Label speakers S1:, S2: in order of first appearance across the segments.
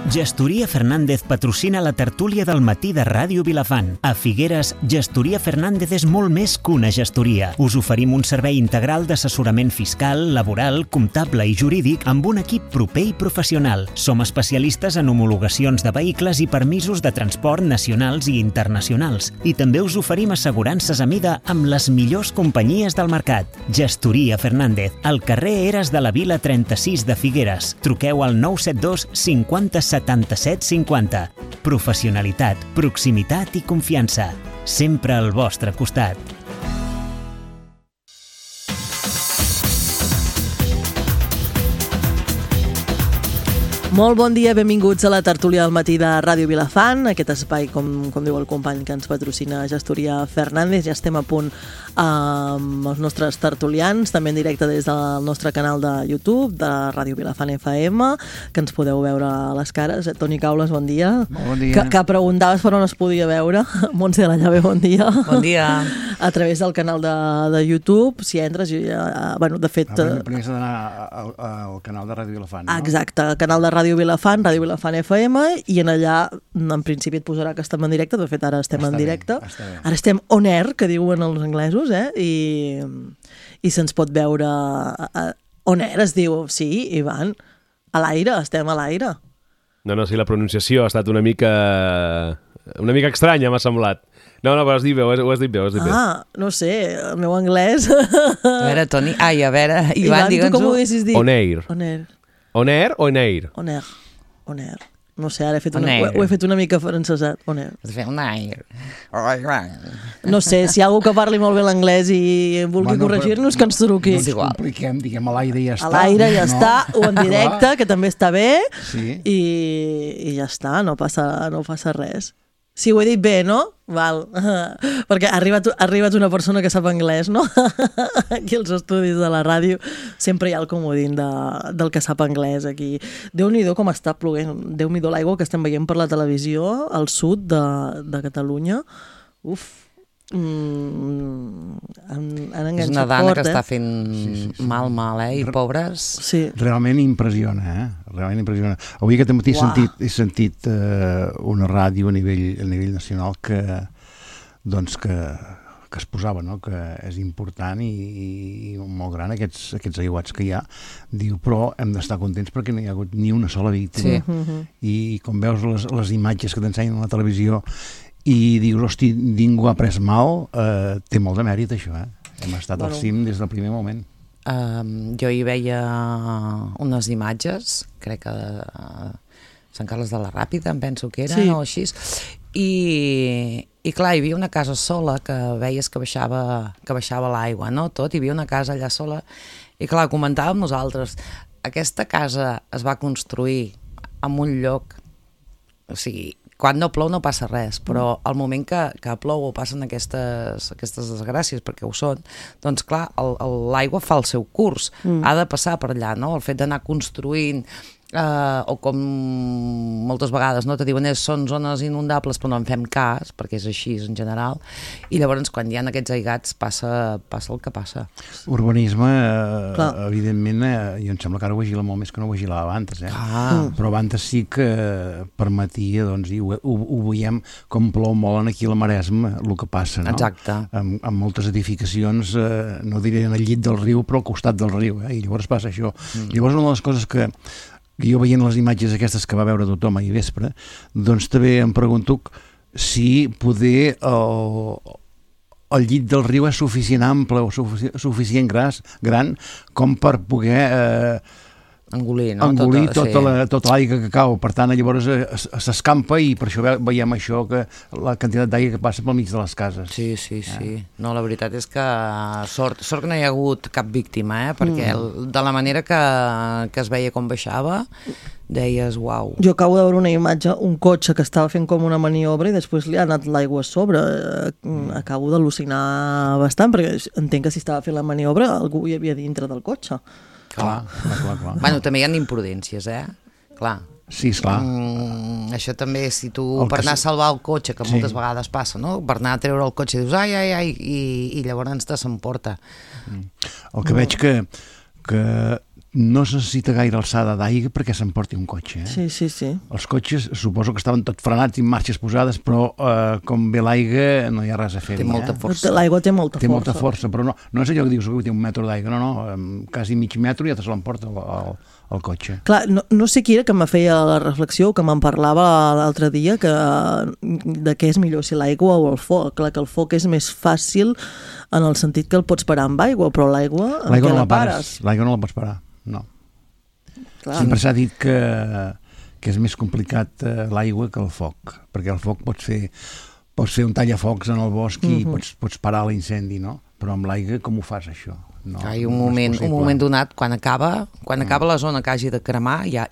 S1: Gestoria Fernández patrocina la tertúlia del matí de Ràdio Vilafant. A Figueres, Gestoria Fernández és molt més que una gestoria. Us oferim un servei integral d'assessorament fiscal, laboral, comptable i jurídic amb un equip proper i professional. Som especialistes en homologacions de vehicles i permisos de transport nacionals i internacionals. I també us oferim assegurances a mida amb les millors companyies del mercat. Gestoria Fernández, al carrer Eres de la Vila 36 de Figueres. Truqueu al 972 50 77 50. Professionalitat, proximitat i confiança. Sempre al vostre costat.
S2: Molt bon dia, benvinguts a la tertúlia del matí de Ràdio Vilafant, aquest espai, com diu el company que ens patrocina Gestoria Fernández. Ja estem a punt amb els nostres tertulians, també en directe des del nostre canal de YouTube, de Ràdio Vilafant FM, que ens podeu veure a les cares. Toni Caules, bon dia.
S3: Bon dia.
S2: Que preguntaves per on es podia veure. Montse de la Llave, bon dia.
S4: Bon dia.
S2: A través del canal de YouTube, si entres, bueno, de fet...
S3: Primer s'ha d'anar al canal de Ràdio Vilafant, no?
S2: Exacte, el canal de Ràdio Vilafant FM, i en allà, en principi et posarà que estem en directe. De fet, ara estem en directe. Ara estem on air, que diuen els anglesos, i se'ns pot veure on air, es diu, sí, Ivan, a l'aire, estem a l'aire.
S5: No, sí, la pronunciació ha estat una mica estranya, m'ha semblat. No, però has dit bé, ho has dit bé.
S2: Ah, no sé, el meu anglès...
S4: A veure, Toni, a veure, Ivan, digue'ns-ho.
S2: Tu com ho haguessis dit?
S5: On air.
S2: On air.
S5: On air o on air?
S2: On air. On air. No sé, ara ho he fet una mica francesat. On air.
S4: Has de fer on air.
S2: No sé, si hi ha algú que parli molt bé l'anglès i vulgui corregir-nos, que ens truqui.
S3: No ens compliquem, diguem, a l'aire ja està.
S2: A l'aire ja està, o en directe, que també està bé,
S3: sí.
S2: I ja està, no passa res. Sí, ho he dit bé, no? Val. Perquè ha arribat una persona que sap anglès, no? Aquí als estudis de la ràdio sempre hi ha el comodín del que sap anglès aquí. Déu-n'hi-do com està ploguent. Déu-n'hi-do l'aigua que estem veient per la televisió al sud de Catalunya. Uf. Han enganxat
S4: és una dana
S2: fort,
S4: que està fent mal, i pobres.
S2: Sí.
S3: Realment impressiona, realment impressiona. Avui aquest matí he sentit una ràdio a nivell nacional que es posava, no? Que és important i molt gran aquests aiguats que hi ha. Diu, però hem d'estar contents perquè no hi ha hagut ni una sola víctima.
S4: Sí.
S3: I com veus les imatges que t'ensenyen a la televisió i dius, hosti, ningú ha pres mal, té molt de mèrit això, Hem estat al cim des del primer moment.
S4: Jo hi veia unes imatges, crec que de Sant Carles de la Ràpita, em penso que era, o així, i clar, hi havia una casa sola que veies que baixava l'aigua, no? Tot, hi havia una casa allà sola, i clar, comentàvem nosaltres, aquesta casa es va construir en un lloc, o sigui, quan no plou no passa res, però al moment que plou o passen aquestes desgràcies, perquè ho són, doncs clar, l'aigua fa el seu curs, ha de passar per allà, no? El fet d'anar construint, o com moltes vegades te diuen són zones inundables però no en fem cas, perquè és així en general, i llavors quan hi ha aquests aigats passa el que passa.
S3: Urbanisme, evidentment, jo em sembla que ara ho vigila molt més que no ho vigilava abans, però abans sí que permetia, doncs, i ho veiem com plou molt aquí a la Maresma, el que passa, no?
S4: Exacte.
S3: Amb moltes edificacions, no diré en el llit del riu, però al costat del riu, i llavors passa això. Llavors una de les coses que jo veient les imatges aquestes que va veure tothom ahir vespre, doncs també em pregunto si poder el llit del riu és suficient ample o suficient gran com per poder
S4: engolir, no?
S3: Tota l'aigua que cau. Per tant, llavors s'escampa i per això veiem això, que la quantitat d'aigua que passa pel mig de les cases.
S4: Sí. No, la veritat és que sort que no hi ha hagut cap víctima, perquè de la manera que es veia com baixava, deies, uau.
S2: Jo acabo de veure una imatge, un cotxe que estava fent com una maniobra i després li ha anat l'aigua a sobre. Acabo d'al·lucinar bastant, perquè entenc que si estava fent la maniobra algú hi havia dintre del cotxe.
S3: Clar.
S4: Bueno, també hi ha imprudències, clar.
S3: Sí, esclar.
S4: Això també, si tu per anar a salvar el cotxe, que moltes vegades passa, no? Per anar a treure el cotxe dius ai, i llavors te s'emporta.
S3: El que veig que no es necessita gaire alçada d'aigua perquè s'emporti un cotxe.
S2: Sí.
S3: Els cotxes suposo que estaven tot frenats i en marxes posades, però com ve l'aigua no hi ha res a fer.
S4: Té molta força.
S2: L'aigua té molta força.
S3: Té molta força, però no és allò que dius que té 1 metre d'aigua, no, quasi mig metro ja te se l'emporta el cotxe.
S2: Clar, no sé qui era que me feia la reflexió, que me'n parlava l'altre dia, de què és millor, si l'aigua o el foc. Clar, que el foc és més fàcil en el sentit que el pots parar amb aigua, però l'aigua en què la pares?
S3: L'aigua no la pots parar, no.
S2: Clar.
S3: Sempre s'ha dit que és més complicat l'aigua que el foc, perquè el foc pots fer un tallafocs en el bosc i pots parar l'incendi, no? Però amb l'aigua com ho fas, això? No,
S4: Hi ha un moment donat, quan acaba la zona que hagi de cremar, ja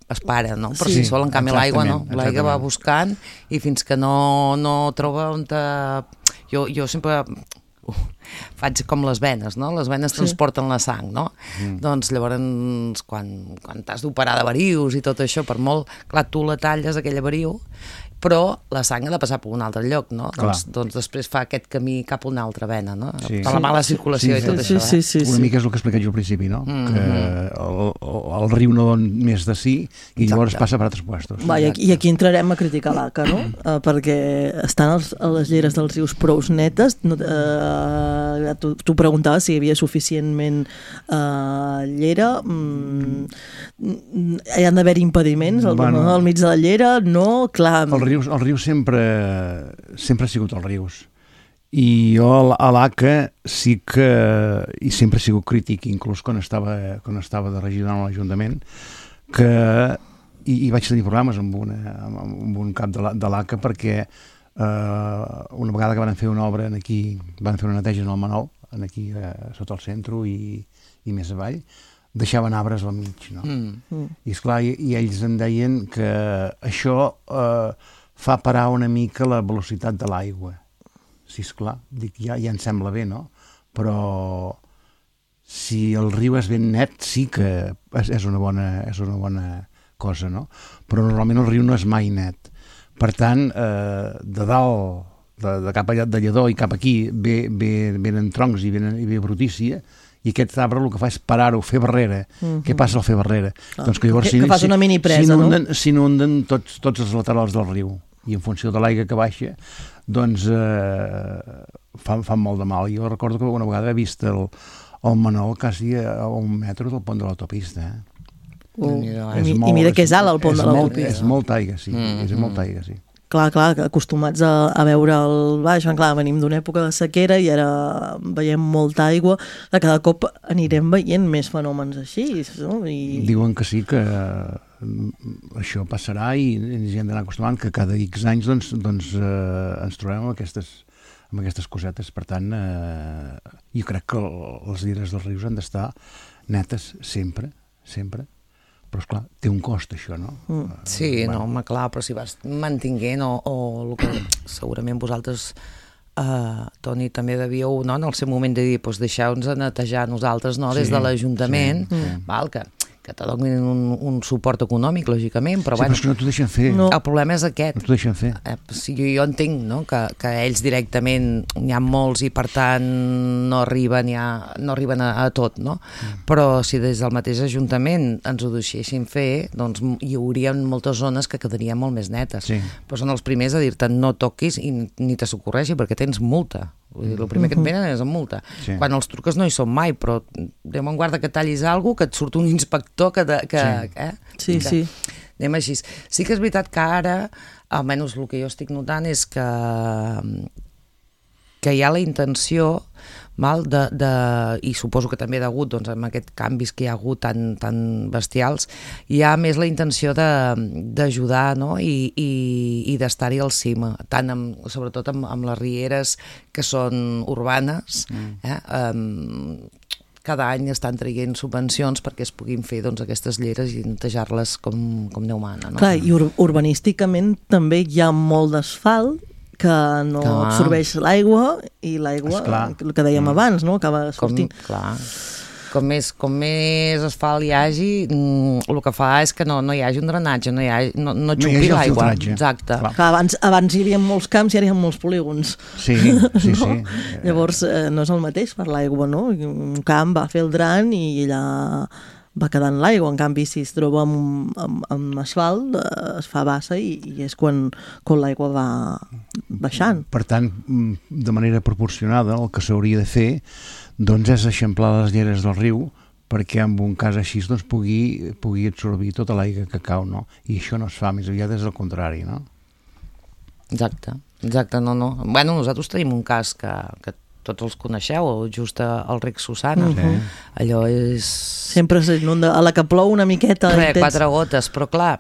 S4: es para, no? Per si sol, en canvi l'aigua no. L'aigua va buscant i fins que no troba on Jo sempre faig com les venes, no? Les venes transporten la sang, no? Doncs llavors, quan t'has d'operar de varius i tot això, per molt, clar, tu la talles, aquella variu, però la sang ha de passar per un altre lloc, no? Doncs després fa aquest camí cap a una altra vena, no? Per la mala circulació i tot això.
S2: Sí.
S3: Una mica és el que he explicat jo al principi, no? Que el riu no don més de sí i llavors passa per altres puestos.
S2: I aquí entrarem a criticar l'ACA, no? Perquè estan a les lleres dels rius prou netes. Tu preguntaves si hi havia suficientment llera. Hi han d'haver impediments al mig de la llera? No, clar.
S3: El riu sempre ha sigut els rius. I jo a l'ACA sí que i sempre he sigut crític, inclús quan estava de regidor en l'Ajuntament, que i vaig tenir problemes amb un cap de l'ACA perquè una vegada que van fer una obra aquí, van fer una neteja en el Manol, aquí sota el centre i més avall, deixaven arbres al mig, no? I esclar, i ells em deien que això fa parar una mica la velocitat de l'aigua. Sí, esclar, dic, ja em sembla bé, no? Però si el riu és ben net, sí que és una bona cosa, no? Però normalment el riu no és mai net. Per tant, de dalt, de cap allà de Lledó i cap aquí, venen troncs i ve brutícia, i aquest arbre el que fa és parar-ho, fer barrera. Què passa al fer barrera? Doncs que llavors
S2: que fas una mini presa, no?
S3: S'inunden tots els laterals del riu, i en funció de l'aigua que baixa, doncs fan molt de mal. Jo recordo que una vegada he vist el Manol quasi a 1 metre del pont de l'autopista.
S2: I mira que és alt el pont de l'autopista.
S3: És molta aigua, sí. És molta aigua, sí.
S2: Clar, acostumats a veure el baix, clar, venim d'una època de sequera i ara veiem molta aigua, cada cop anirem veient més fenòmens així, no?
S3: Diuen que sí, que això passarà i ens hi hem d'anar acostumant, que cada X anys doncs ens trobem amb aquestes cosetes. Per tant, jo crec que les lleres dels rius han d'estar netes sempre, però esclar, té un cost això, no?
S4: Sí, no, home, clar, però si vas mantinguent o el que segurament vosaltres, Toni, també devíeu, no?, en el seu moment de dir, doncs deixeu-nos netejar nosaltres, no?, des de l'Ajuntament, val, que te donin un suport econòmic, lògicament, però bueno...
S3: Sí, però és que no t'ho deixen fer.
S4: El problema és aquest.
S3: No t'ho deixen fer.
S4: Jo entenc, no?, que ells directament n'hi ha molts i per tant no arriben a tot, no? Però si des del mateix Ajuntament ens ho deixessin fer, doncs hi hauria moltes zones que quedarien molt més netes. Però són els primers a dir-te no toquis i ni te socorregi perquè tens multa. El primer que et venen és amb multa. Quan els truques no hi són mai, però Déu me'n guarda que tallis alguna cosa, que et surt un inspector
S2: Sí.
S4: Anem així. Sí que és veritat que ara, almenys el que jo estic notant és que hi ha la intenció, i suposo que també degut amb aquests canvis que hi ha hagut tan bestials, hi ha més la intenció d'ajudar, no? I d'estar-hi al cim, sobretot amb les rieres que són urbanes. Cada any estan traient subvencions perquè es puguin fer aquestes lleres i netejar-les com Déu mana, no?
S2: Clar, i urbanísticament també hi ha molt d'asfalt que no absorbeix l'aigua i l'aigua, el que dèiem abans, no?, acaba sortint.
S4: Com més asfalt hi hagi, el que fa és que no hi hagi un drenatge, no xupi l'aigua. Exacte.
S2: Abans hi havia molts camps i ara hi ha molts polígons.
S3: Sí.
S2: Llavors no és el mateix per l'aigua, no? Un camp va fer el dran i allà va quedant l'aigua. En canvi, si es troba amb asfalt, es fa bassa i és quan l'aigua va baixant.
S3: Per tant, de manera proporcionada, el que s'hauria de fer doncs, és eixamplar les lleres del riu perquè en un cas així doncs, pugui absorbir tota l'aigua que cau, no? I això no es fa, més aviat és el contrari, no?
S4: Exacte, no. Bueno, nosaltres tenim un cas que tots els coneixeu, just al Rec Susana. Allò és...
S2: Sempre s'inunda, a la que plou una miqueta...
S4: 4 gotes, però clar,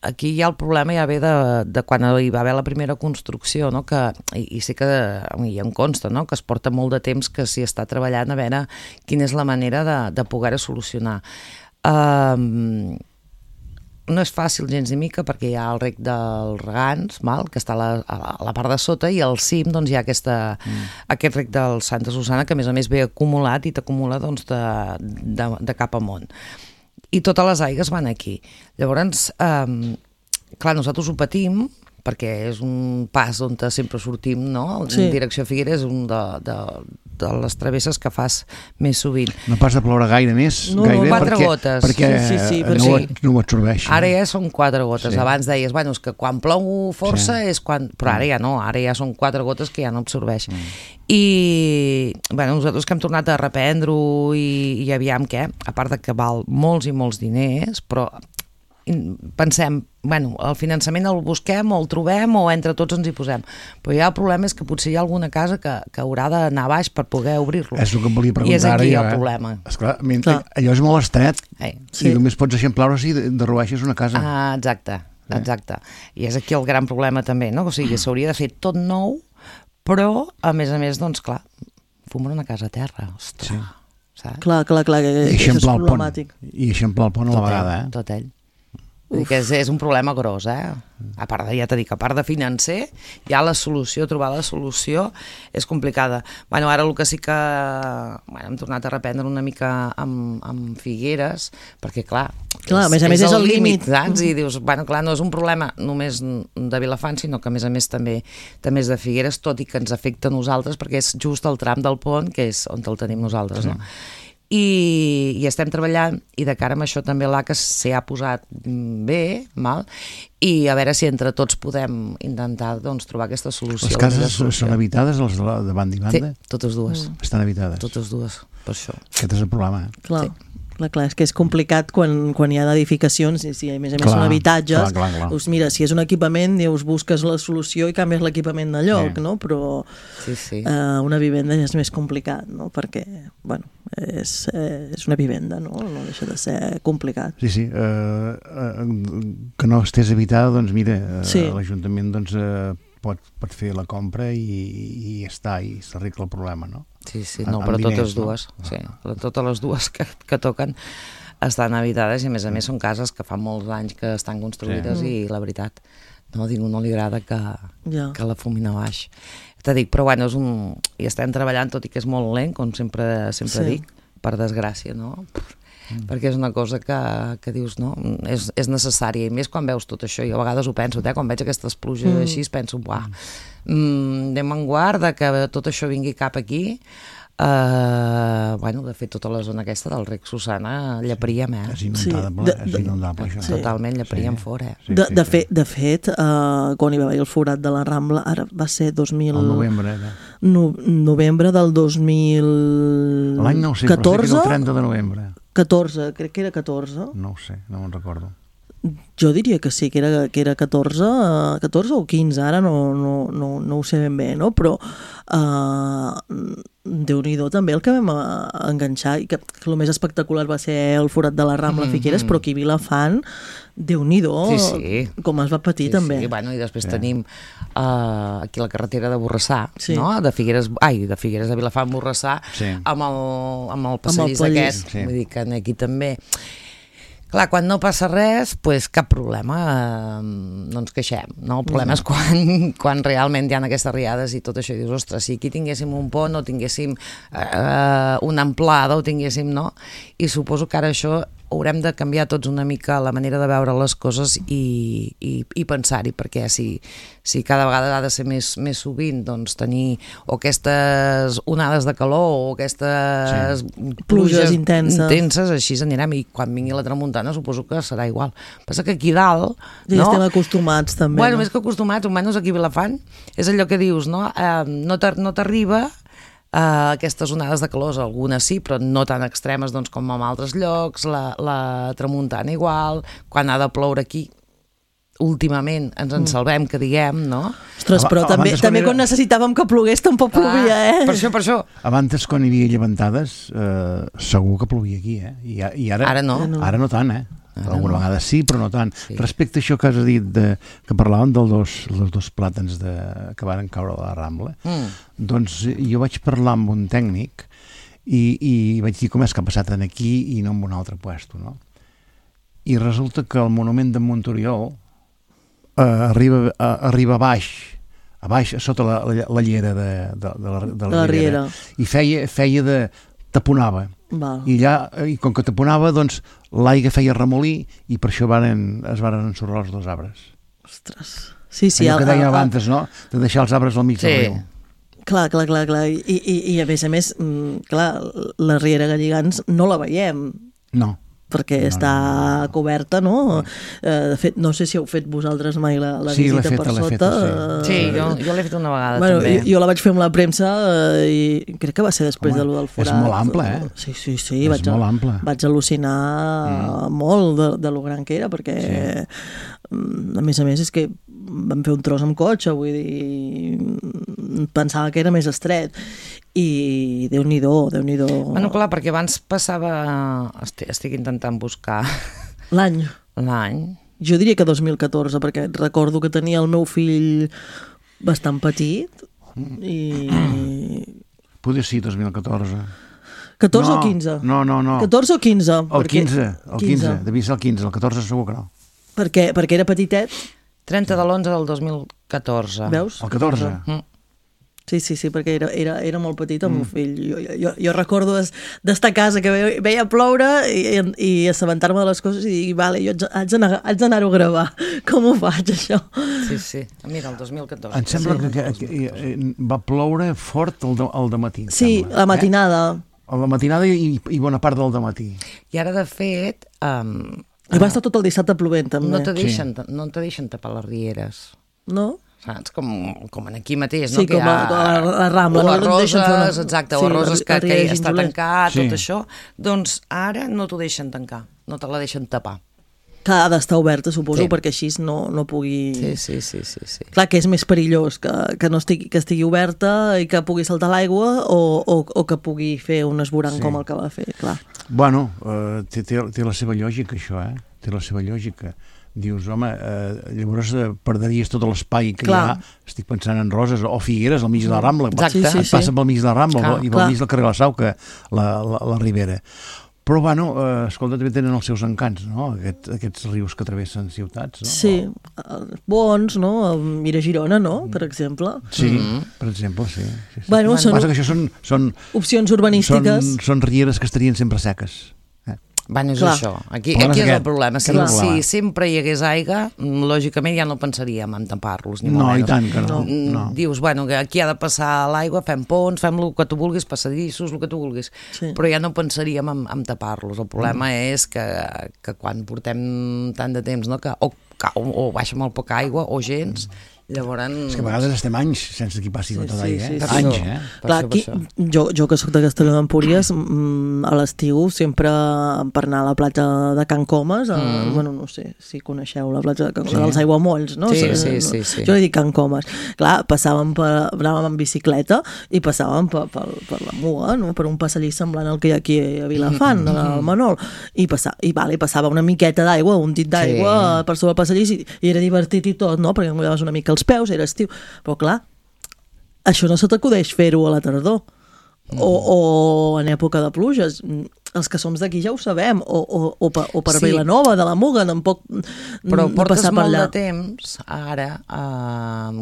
S4: aquí ja el problema ja ve de quan hi va haver la primera construcció, no? I sé que i em consta, no? Que es porta molt de temps que s'hi està treballant a veure quina és la manera de poder-ho solucionar. No és fàcil gens ni mica perquè hi ha el rec dels Regants, que està a la part de sota, i al cim doncs, hi ha aquest rec del Santa Susana que a més ve acumulat i t'acumula doncs, de cap amunt. I totes les aigues van aquí. Llavors, clar, nosaltres ho patim perquè és un pas on sempre sortim, no? En direcció a Figueres és un de les travesses que fas més sovint.
S3: No pas de ploure gaire més, gaire
S4: 4 gotes.
S3: Perquè no ho absorbeix.
S4: Ara ja són 4 gotes. Abans deies, bueno, és que quan plou força és quan... Però ara ja no, ara ja són 4 gotes que ja no absorbeix. I bueno, nosaltres que hem tornat a reprendre-ho i aviam què, a part de que val molts i molts diners, però pensem, bueno, el finançament el busquem o el trobem o entre tots ens hi posem, però ja el problema és que potser hi ha alguna casa que haurà d'anar baix per poder obrir-lo.
S3: És el que em volia preguntar.
S4: I és aquí el problema.
S3: Esclar, allò és molt estret i només pots eixamplar-ho si derrueixes una casa.
S4: Exacte. I és aquí el gran problema també, no? O sigui, s'hauria de fer tot nou, però a més, doncs clar, fumar una casa a terra, ostres, saps?
S2: Clar, que això és problemàtic.
S3: I eixamplar el pont a la vegada,
S4: Tot ell. Que és un problema gros, a part de, ja t'he dit, a part de financer, ja trobar la solució és complicada. Bueno, ara el que sí que hem tornat a reprendre una mica amb Figueres, perquè clar,
S2: a més és el límit.
S4: I dius, bueno, clar, no és un problema només de Vilafant, sinó que a més també és de Figueres, tot i que ens afecta a nosaltres, perquè és just el tram del pont, que és on el tenim nosaltres, no? I estem treballant, i de cara amb això també l'ACA s'hi ha posat bé, i a veure si entre tots podem intentar trobar aquesta solució.
S3: Les cases són habitades, les de banda i banda?
S4: Sí, totes dues.
S3: Estan habitades?
S4: Totes dues, per això.
S3: Aquest és el problema,
S2: Clar. Clar, és que és complicat quan hi ha edificacions i si a més són habitatges, doncs mira, si és un equipament busques la solució i canvies l'equipament de lloc, no? Però una vivenda és més complicat, no? Perquè, bueno, és una vivenda, no? No deixa de ser complicat.
S3: Sí, que no estés habitada, doncs mira, l'Ajuntament pot fer la compra i ja està, i s'arregla el problema, no?
S4: Sí, no, però totes dues, totes les dues que toquen estan habitades i a més són cases que fa molts anys que estan construïdes i la veritat, a ningú no li agrada que la fumin a baix. Te dic, però bueno, hi estem treballant, tot i que és molt lent, com sempre dic, per desgràcia, no? Perquè és una cosa que dius, no? És necessària, i més quan veus tot això. Jo a vegades ho penso, quan veig aquestes pluges així, penso, anem en guarda que tot això vingui cap aquí. De fet, tota la zona aquesta del Rec Susana lleparíem,
S3: És inundable, això.
S4: Totalment, lleparíem fora.
S2: De fet, quan hi va haver el forat de la Rambla, ara va ser
S3: el novembre,
S2: novembre del 2014.
S3: L'any no ho sé, però sé que era el 30 de novembre.
S2: 14, crec que era 14.
S3: No ho sé, no me'n recordo.
S2: Jo diria que sí, que era 14 o 15, ara no ho sé ben bé, no? Però Déu-n'hi-do també el que vam enganxar, i que el més espectacular va ser el forat de la Rambla Figueres, però aquí a Vilafant, Déu-n'hi-do com es va patir també.
S4: I després tenim aquí la carretera de Borrassà, no? De Figueres a Vilafant, Borrassà, amb el passadís aquest, vull dir que aquí també... Clar, quan no passa res, doncs cap problema, no ens queixem, no? El problema és quan realment hi ha aquestes riades i tot això, i dius, ostres, si aquí tinguéssim un pont o tinguéssim una amplada o tinguéssim, no? I suposo que ara això haurem de canviar tots una mica la manera de veure les coses i pensar-hi, perquè si cada vegada ha de ser més sovint, doncs tenir o aquestes onades de calor o aquestes
S2: pluges intenses,
S4: així anirem, i quan vingui la tramuntana suposo que serà igual. Passa que aquí dalt...
S2: Ja estem acostumats també.
S4: Bueno, més que acostumats, almenys aquí a Vilafant, és allò que dius, no? No t'arriba aquestes onades de calor, algunes sí, però no tan extremes doncs, com en altres llocs, la tramuntana igual, quan ha de ploure aquí, últimament ens en salvem, que diguem, no?
S2: Ostres, però també quan necessitàvem que plogués tampoc plovia,
S4: Per això.
S3: Abans, quan hi havia llevantades, segur que plovia aquí, I ara
S4: no.
S3: Ara no tant, Alguna vegada sí, però no tant. Sí. Respecte a això que has dit, que parlàvem dels dos plàtans que van caure a la Rambla, doncs jo vaig parlar amb un tècnic i vaig dir com és que ha passat aquí i no en un altre puesto, no? I resulta que el monument de Montoriol arriba a baix, sota la llera de la Riera, i feia de... taponava. I com que taponava, doncs l'aigua feia remolí i per això es varen ensorrar els dos arbres.
S2: Ostres. Sí,
S3: allò que deia abans, no? De deixar els arbres al mig del riu.
S2: Clar. I a més, clar, la Riera Galligants no la veiem.
S3: No.
S2: Perquè està coberta, no? De fet, no sé si heu fet vosaltres mai la visita per sota.
S4: Sí, jo l'he fet una vegada també.
S2: Jo la vaig fer amb la premsa i crec que va ser després de lo del forat.
S3: És molt ample,
S2: Sí,
S3: és molt ample.
S2: Vaig al·lucinar molt de lo gran que era, perquè a més és que vam fer un tros amb cotxe, vull dir, pensava que era més estret. I Déu-n'hi-do.
S4: Bueno, clar, perquè abans passava... Estic intentant buscar...
S2: L'any. Jo diria que 2014, perquè recordo que tenia el meu fill bastant petit i...
S3: Poder sí, 2014.
S2: 14 o 15?
S3: No.
S2: 14 o 15?
S3: El 15, devia ser el 15, el 14 segur que no.
S2: Perquè era petitet?
S4: 30 de l'11 del 2014.
S2: Veus?
S3: El 14?
S2: Sí, perquè era molt petit el meu fill. Jo recordo d'estar a casa que veia ploure i assabentar-me de les coses i dir, vale, jo haig d'anar-ho a gravar. Com ho faig, això?
S4: Sí. Mira, el 2014.
S3: Em sembla que va ploure fort el dematí.
S2: Sí, la matinada.
S3: La matinada i bona part del dematí.
S4: I ara, de fet...
S2: I va estar tot el dissabte plovent, també.
S4: No te deixen tapar les rieres.
S2: No?
S4: Saps? Com aquí mateix,
S2: no? Sí, com la Rambla.
S4: O a Roses, exacte, o a Roses que està tancat, tot això. Doncs ara no t'ho deixen tancar, no te la deixen tapar.
S2: Que ha d'estar oberta, suposo, perquè així no pugui...
S4: Sí.
S2: Clar, que és més perillós que estigui oberta i que pugui saltar l'aigua o que pugui fer un esborrany com el que va fer, clar.
S3: Bueno, té la seva lògica, això, Té la seva lògica. Dius, home, llavors perdries tot l'espai que hi ha, estic pensant en Roses o Figueres al mig de la Rambla.
S4: Exacte.
S3: Et passa pel mig de la Rambla i pel mig del carrer La Sau, que la Ribera. Però, bueno, escolta, també tenen els seus encants, no? Aquests rius que travessen ciutats, no?
S2: Sí, bons, no? Mira Girona, no? Per exemple.
S3: Sí, per exemple, sí.
S2: Bueno,
S3: passa que això són
S2: opcions urbanístiques.
S3: Són rieres que estarien sempre seques.
S4: Bueno, és això. Aquí és el problema. Si sempre hi hagués aigua, lògicament ja no pensaríem en tapar-los, ni molt menys.
S3: No, i tant que no.
S4: Dius, bueno, que aquí ha de passar l'aigua, fem ponts, fem el que tu vulguis, passadissos, el que tu vulguis. Però ja no pensaríem en tapar-los. El problema és que quan portem tant de temps, no, que o baixa molt poca aigua o gens... Llavors...
S3: És que a vegades estem anys sense que passi gota d'aigua, anys,
S2: Clar, aquí, jo que soc de Castelló d'Empúries, a l'estiu sempre per anar a la platja de Can Comas, bueno, no sé si coneixeu la platja de Can Comas, dels aiguamolls, no?
S4: Sí.
S2: Jo li dic Can Comas. Clar, anàvem en bicicleta i passàvem per la Mua, no? Per un passadís semblant al que hi ha aquí a Vilafant, al Manol, i passava una miqueta d'aigua, un dit d'aigua per sobre el passadís i era divertit i tot, no? Perquè em mullaves una mica els peus, era estiu, però clar, això no se t'acudeix fer-ho a la tardor o en època de pluges. Els que som d'aquí ja ho sabem, o per Vilanova, de la Muga, tampoc
S4: però portes molt de temps ara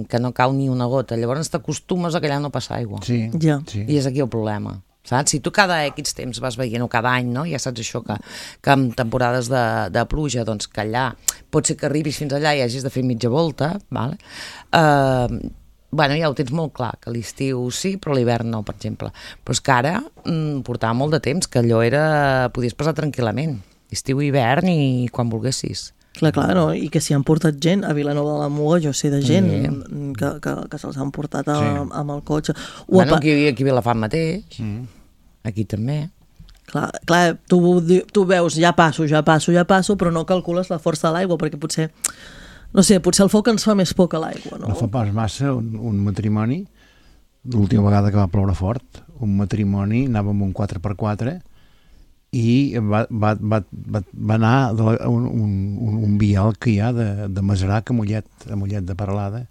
S4: que no cau ni una gota, llavors t'acostumes a que allà no passa aigua.
S3: Sí.
S4: I és aquí el problema. saps? Si tu cada X temps vas veient, o cada any, no? Ja saps això, que en temporades de pluja, doncs que allà pot ser que arribis fins allà i hagis de fer mitja volta, vale? Bueno, ja ho tens molt clar, que l'estiu sí, però l'hivern no, per exemple. Però és que ara portava molt de temps, que allò podies passar tranquil·lament, estiu i hivern i quan volguessis.
S2: Clar, no? I que s'hi han portat gent a Vilanova de la Muga, jo sé de gent que se'ls han portat amb el cotxe.
S4: Bueno, aquí a Vilafant mateix, aquí també.
S2: Clar, tu veus, ja passo, però no calcules la força de l'aigua, perquè potser, no sé, potser el foc ens fa més por que l'aigua, no?
S3: No fa pas massa un matrimoni, l'última vegada que va ploure fort, un matrimoni, anava amb un 4x4 i va anar un vial que hi ha de Masarac a Mollet de Peralada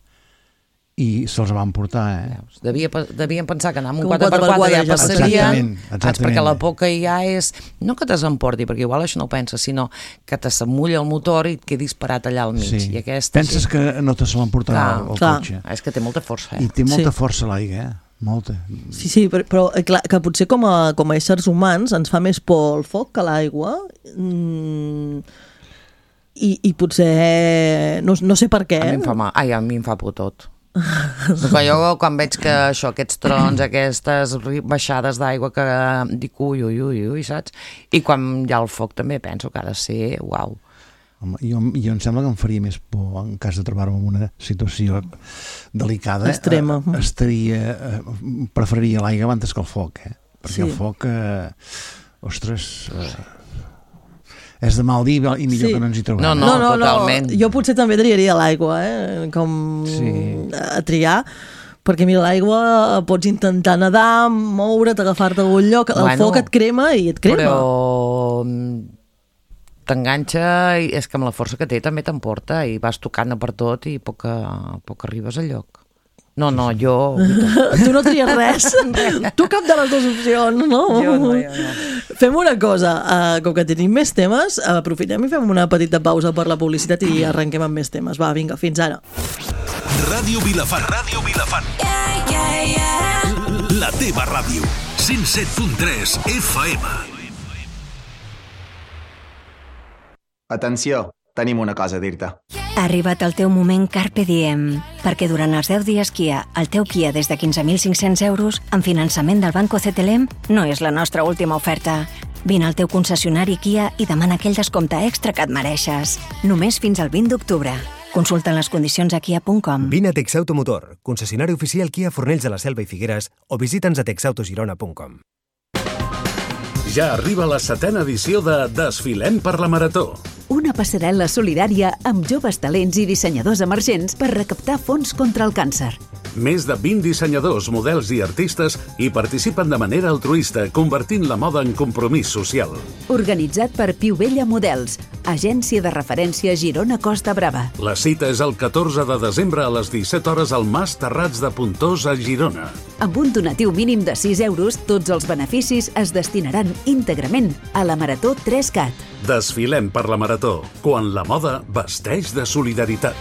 S3: i se'ls van portar,
S4: Devien pensar que anar amb un 4x4 ja passarien, perquè la por que hi ha és, no que t'emporti, perquè igual això no ho penses, sinó que s'amulla el motor i et quedis parat allà al mig.
S3: Sí.
S4: I
S3: penses que no te se l'emportarà el cotxe.
S4: És que té molta força.
S3: I té molta força l'aigua, molta.
S2: Sí, però clar, que potser com a éssers humans ens fa més por el foc que l'aigua, i potser no sé per què.
S4: A mi em fa por tot. Jo quan veig que aquests trons, aquestes baixades d'aigua, que dic ui, saps? I quan hi ha el foc també penso que ha de ser uau.
S3: Home, jo em sembla que em faria més por en cas de trobar-me en una situació delicada,
S2: extrema.
S3: Preferiria l'aigua abans que el foc, perquè el foc ostres, és de mal dir i millor que no ens hi trobem.
S4: No, totalment.
S2: Jo potser també triaria l'aigua, com a triar, perquè mira, l'aigua pots intentar nedar, moure't, agafar-te a algun lloc, el foc et crema i et crema.
S4: Però t'enganxa, i és que amb la força que té també t'emporta i vas tocant per tot i poc arribes al lloc. No, jo...
S2: Tu no tries res? Tu cap de les dues opcions, no?
S4: Jo no.
S2: Fem una cosa, com que tenim més temes, aprofitem i fem una petita pausa per la publicitat i arrenquem amb més temes. Va, vinga, fins ara.
S6: Ràdio Vilafant. La teva ràdio. 107.3 FM.
S7: Atenció, tenim una cosa a dir-te.
S8: Ha arribat el teu moment Carpe Diem, perquè durant els 10 dies Kia, el teu Kia des de 15.500 euros, amb finançament del Banco CTLM, no és la nostra última oferta. Vine al teu concessionari Kia i demana aquell descompte extra que et mereixes. Només fins al 20 d'octubre. Consulta les condicions a kia.com.
S9: Vine a Texautomotor, concessionari oficial Kia Fornells de la Selva i Figueres, o visita'ns a texautogirona.com.
S6: Ja arriba la 7ª edició de Desfilem per la Marató.
S10: Una passarel·la solidària amb joves talents i dissenyadors emergents per recaptar fons contra el càncer.
S6: Més de 20 dissenyadors, models i artistes hi participen de manera altruista, convertint la moda en compromís social.
S10: Organitzat per Piu Vella Models, agència de referència Girona Costa Brava.
S6: La cita és el 14 de desembre a les 17 hores al Mas Terrats de Pontós a Girona.
S10: Amb un donatiu mínim de 6 euros, tots els beneficis es destinaran íntegrament a la Marató 3CAT.
S6: Desfilem per la Marató, quan la moda vesteix de solidaritat.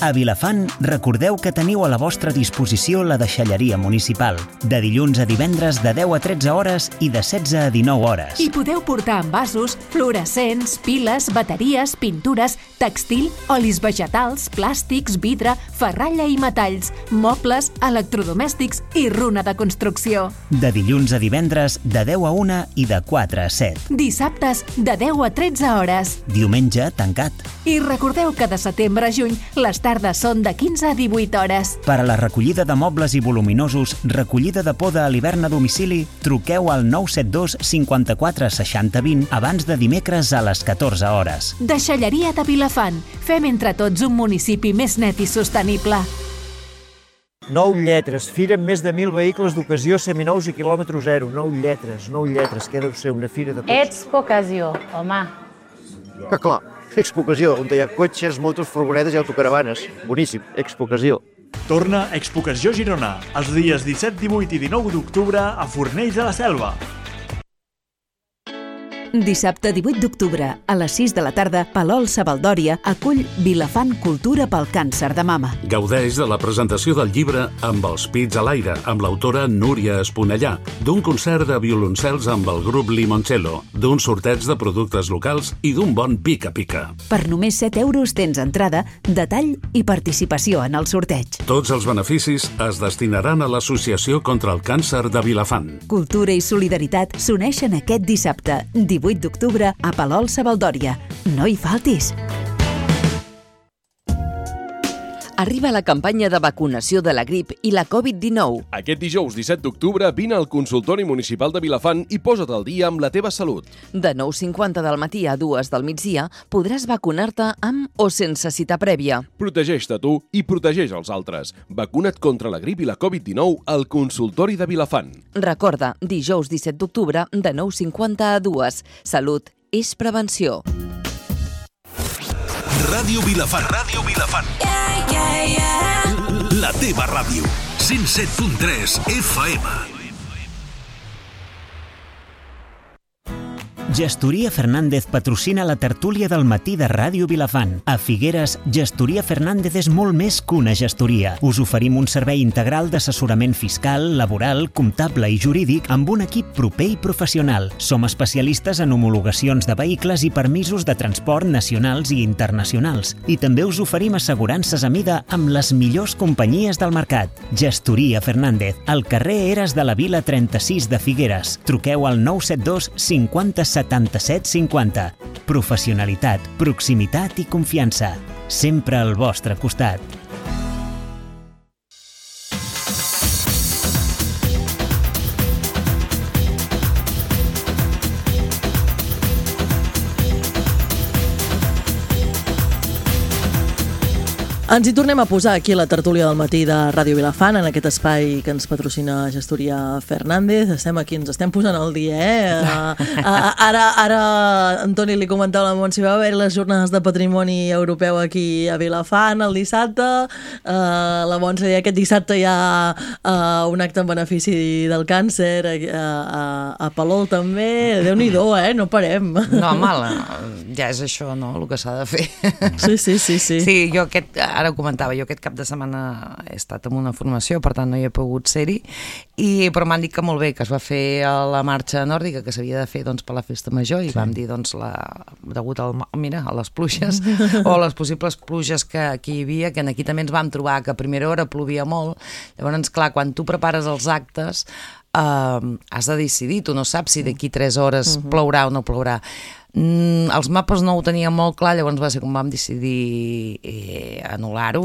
S1: A Vilafant, recordeu que teniu a la vostra disposició la deixalleria municipal, de dilluns a divendres de 10 a 13 hores i de 16 a 19 hores.
S11: Hi podeu portar envasos, fluorescents, piles, bateries, pintures, textil, olis vegetals, plàstics, vidre, ferralla i metalls, mobles, electrodomèstics i runa de construcció.
S1: De dilluns a divendres de 10 a 1 i de 4 a 7.
S11: Dissabtes de 10 a 13 hores.
S1: Diumenge tancat.
S11: I recordeu que de setembre a juny les tardes són de 15 a 18 hores.
S1: Per a la recollida de mobles i voluminosos, recollida de poda a l'hivern a domicili, truqueu al 972 54 60 20 abans de dimecres a les 14 hores.
S11: Deixalleria de Vilafant. Fem entre tots un municipi més net i sostenible.
S12: 9 lletres, fira amb més de 1.000 vehicles d'ocasió seminous i quilòmetre zero. 9 lletres, que deu ser una fira de cotxes.
S13: Expocasió, home.
S12: Que clar, Expocasió, on hi ha cotxes, motos, furgonetes i autocaravanes. Boníssim, Expocasió.
S14: Torna Expocació Girona, els dies 17, 18 i 19 d'octubre a Fornells de la Selva.
S10: Dissabte 18 d'octubre, a les 6 de la tarda, Palol Savaldòria acull Vilafant Cultura pel càncer de mama.
S6: Gaudeix de la presentació del llibre Amb els pits a l'aire, amb l'autora Núria Esponellà, d'un concert de violoncels amb el grup Limoncello, d'un sorteig de productes locals i d'un bon pica-pica.
S10: Per només 7 euros tens entrada, detall i participació en el sorteig.
S6: Tots els beneficis es destinaran a l'Associació contra el Càncer de Vilafant.
S10: Cultura i solidaritat s'uneixen aquest dissabte, 18 d'octubre, a Palol Savaldòria. No hi faltis!
S7: Arriba la campanya de vacunació de la grip i la Covid-19.
S13: Aquest dijous 17 d'octubre vine al Consultori Municipal de Vilafant i posa't al dia amb la teva salut.
S7: De 9:50 del matí a 2 del migdia podràs vacunar-te amb o sense cita prèvia.
S13: Protegeix-te tu i protegeix els altres. Vacuna't contra la grip i la Covid-19 al Consultori de Vilafant.
S7: Recorda, dijous 17 d'octubre de 9:50 a 2. Salut és prevenció.
S15: Ràdio Vilafant. Ràdio Vilafant. La teva ràdio. 107.3 FM.
S1: Gestoria Fernández patrocina la tertúlia del matí de Ràdio Vilafant. A Figueres, Gestoria Fernández és molt més que una gestoria. Us oferim un servei integral d'assessorament fiscal, laboral, comptable i jurídic amb un equip proper i professional. Som especialistes en homologacions de vehicles i permisos de transport nacionals i internacionals. I també us oferim assegurances a mida amb les millors companyies del mercat. Gestoria Fernández, al carrer Eres de la Vila 36 de Figueres. Truqueu al 972 50 77 50. Professionalitat, proximitat i confiança. Sempre al vostre costat.
S2: Ens hi tornem a posar aquí a la tertúlia del matí de Ràdio Vilafant, en aquest espai que ens patrocina Gestoria Fernández. Estem aquí, ens estem posant al dia, Ara Antoni li comentava a la Montse, va haver les jornades de patrimoni europeu aquí a Vilafant el dissabte. La Montse deia aquest dissabte hi ha un acte en benefici del càncer a Palol també. Déu-n'hi-do, no parem.
S4: No, home, ja és això, no?, el que s'ha de fer.
S2: Sí.
S4: Sí, jo ara ho comentava, jo aquest cap de setmana he estat en una formació, per tant no hi he pogut ser-hi, però m'han dit que molt bé, que es va fer la marxa nòrdica que s'havia de fer per la festa major i vam dir, degut a les pluges o les possibles pluges que hi havia, que aquí també ens vam trobar que a primera hora plovia molt. Llavors, clar, quan tu prepares els actes has de decidir, tu no saps si d'aquí 3 hores plourà o no plourà. Els mapes no ho tenien molt clar, llavors va ser com vam decidir anul·lar-ho o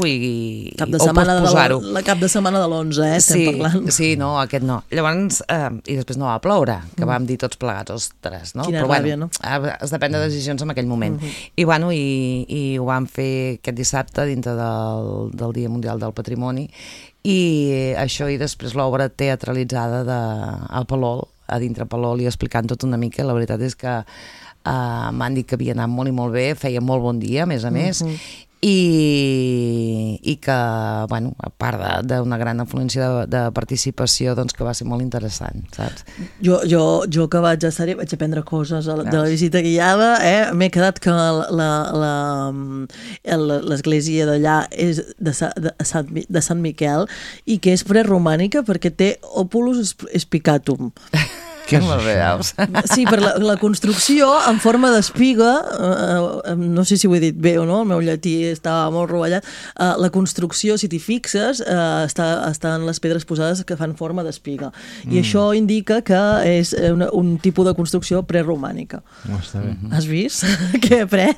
S4: posposar-ho.
S2: La cap de setmana de l'11, estem parlant.
S4: Sí, no, aquest no. Llavors, i després no va ploure, que vam dir tots plegats, ostres, no?
S2: Quina ràbia, no?
S4: Es depèn de decisions en aquell moment. I ho vam fer aquest dissabte dintre del Dia Mundial del Patrimoni, i això, i després l'obra teatralitzada a Palol, a dintre Palol, i explicant tot una mica. La veritat és que m'han dit que havia anat molt i molt bé, feia molt bon dia, a més, i que, bueno, a part d'una gran afluència de participació, doncs que va ser molt interessant, saps?
S2: Jo que vaig estar-hi, vaig aprendre coses de la visita guiada, m'he quedat que l'església d'allà és de Sant Miquel i que és preromànica perquè té Opulus Spicatum.
S3: Què és això?
S2: Sí, per la construcció en forma d'espiga, no sé si ho he dit bé o no, el meu llatí estava molt rovellat, la construcció, si t'hi fixes, estan les pedres posades que fan forma d'espiga. I això indica que és un tipus de construcció preromànica.
S3: Està bé.
S2: Has vist? Què he après?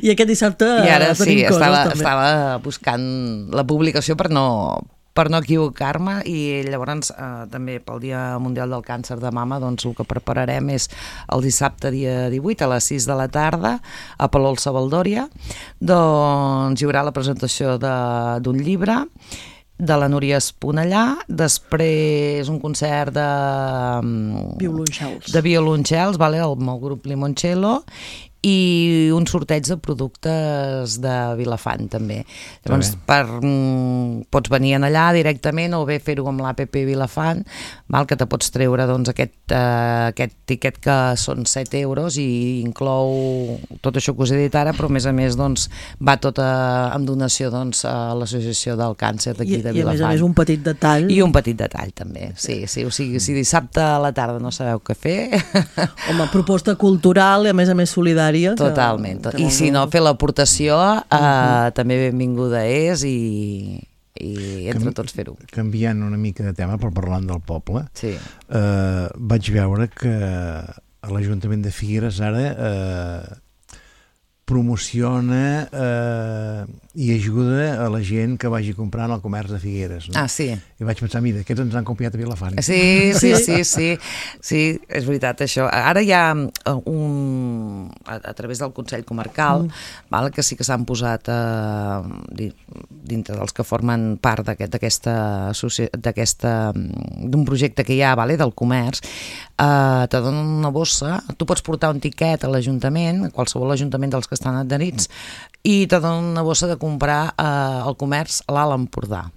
S2: I aquest dissabte
S4: i ara sí,
S2: tenim coses també.
S4: Estava buscant la publicació per no equivocar-me, i llavors també pel Dia Mundial del Càncer de Mama, doncs el que prepararem és el dissabte dia 18 a les 6 de la tarda a Palol Savaldòria. Doncs hi haurà la presentació d'un llibre de la Núria Esponellà, després un concert de violoncels, amb el grup Limoncello, i un sorteig de productes de Vilafant també. Llavors pots venir allà directament o bé fer-ho amb l'APP Vilafant, que te pots treure aquest tiquet que són 7 euros i inclou tot això que us he dit ara, però a més va tot en donació a l'Associació del Càncer d'aquí de Vilafant.
S2: I a més un petit detall.
S4: I un petit detall també, sí. O sigui, si dissabte a la tarda no sabeu què fer...
S2: Home, proposta cultural i a més solidària.
S4: Totalment. I si no, fer l'aportació també benvinguda és i entre tots fer-ho.
S3: Canviant una mica de tema, però parlant del poble, vaig veure que a l'Ajuntament de Figueres ara promociona i ajuda a la gent que vagi comprant al comerç de Figueres.
S4: Ah, sí.
S3: I vaig pensar, mira, aquests ens han copiat a Vilafant.
S4: Sí, és veritat això. Ara hi ha a través del Consell Comarcal, que sí que s'han posat dintre dels que formen part d'un projecte que hi ha del comerç, te donen una bossa, tu pots portar un tiquet a l'Ajuntament, a qualsevol ajuntament dels que estan adherits, i te donen una bossa de comprar al comerç a l'Alt Empordà.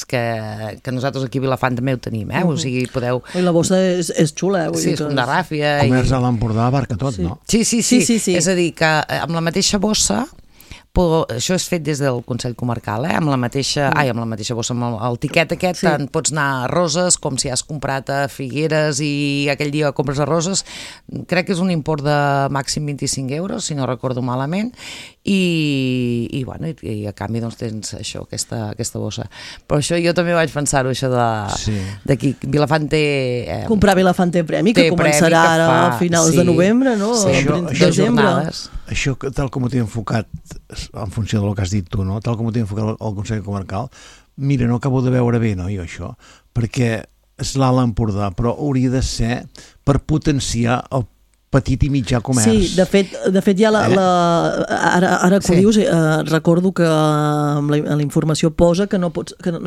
S4: Que nosaltres aquí a Vilafant també ho tenim, o sigui, podeu...
S2: I la bossa és xula,
S4: Sí, és com de ràfia.
S3: Comerç a l'Empordà abarca tot, no?
S4: Sí. És a dir, que amb la mateixa bossa, això és fet des del Consell Comarcal, amb la mateixa bossa, amb el tiquet aquest, tant pots anar a Roses com si has comprat a Figueres i aquell dia compres a Roses, crec que és un import de màxim 25 euros, si no recordo malament, i a canvi tens això, aquesta bossa. Però això jo també vaig pensar-ho, això d'aquí, Vilafant té...
S2: Comprar Vilafant té premi, que començarà ara a finals de novembre, no?
S4: Sí, de jornades.
S3: Això, tal com ho té enfocat, en funció del que has dit tu, no? Tal com ho té enfocat el Consell Comarcal, mira, no acabo de veure bé, no, jo això, perquè és l'Alt Empordà, però hauria de ser per potenciar el petit i mitjà comerç.
S2: Sí, de fet ja ara que ho dius, recordo que la informació posa que no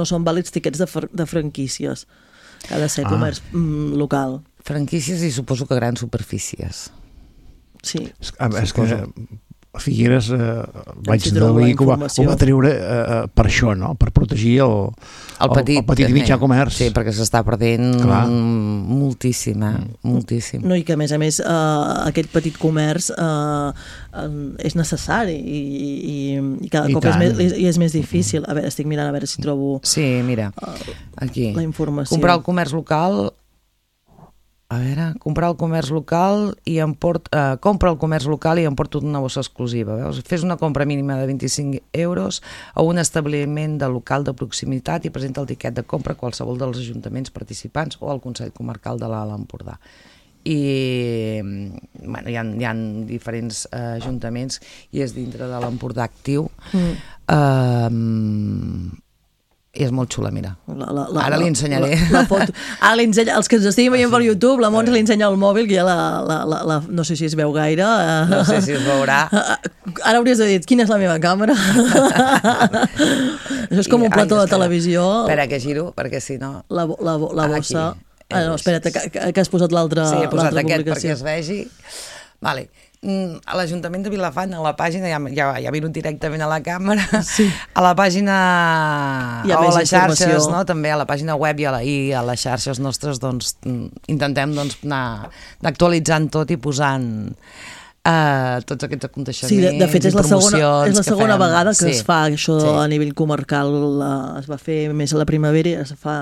S2: són vàlids tiquets de franquícies, que ha de ser comerç local.
S4: Franquícies i suposo que grans superfícies.
S2: Sí.
S3: És que a Figueres vaig deduir que ho va treure per això, no? Per protegir el petit i mitjà comerç.
S4: Sí, perquè s'està perdent moltíssim, moltíssim.
S2: No, i que a més aquest petit comerç és necessari i cada cop és més difícil. A veure, estic mirant a veure si trobo
S4: aquí
S2: la informació.
S4: Comprar el comerç local... comprar el comerç local i compra el comerç local i emporta una bossa exclusiva. Veus? Fes una compra mínima de 25 euros a un establiment de local de proximitat i presenta el tiquet de compra a qualsevol dels ajuntaments participants o al Consell Comarcal de l'Alt Empordà. I hi ha diferents ajuntaments i és dintre de l'Empordà actiu. I és molt xula, mira. Ara li ensenyaré.
S2: La foto. Els que ens estiguin veient per YouTube, la Montse li ensenya el mòbil, que ja no sé si es veu gaire.
S4: No sé si es veurà.
S2: Ara hauries de dir, quina és la meva càmera? Això és com un plató de televisió.
S4: Espera, que giro, perquè si no...
S2: La bossa... No, espera't, que has posat l'altra publicació.
S4: Sí, he posat aquest perquè es vegi. Vale. A l'Ajuntament de Vilafant, a la pàgina, ja miro directament a la càmera, a la pàgina o a les xarxes, també a la pàgina web i a les xarxes nostres, intentem anar actualitzant tot i posant tots aquests aconteixements.
S2: Sí, de fet és la segona vegada que es fa això a nivell comarcal. Es va fer més a la primavera i es fa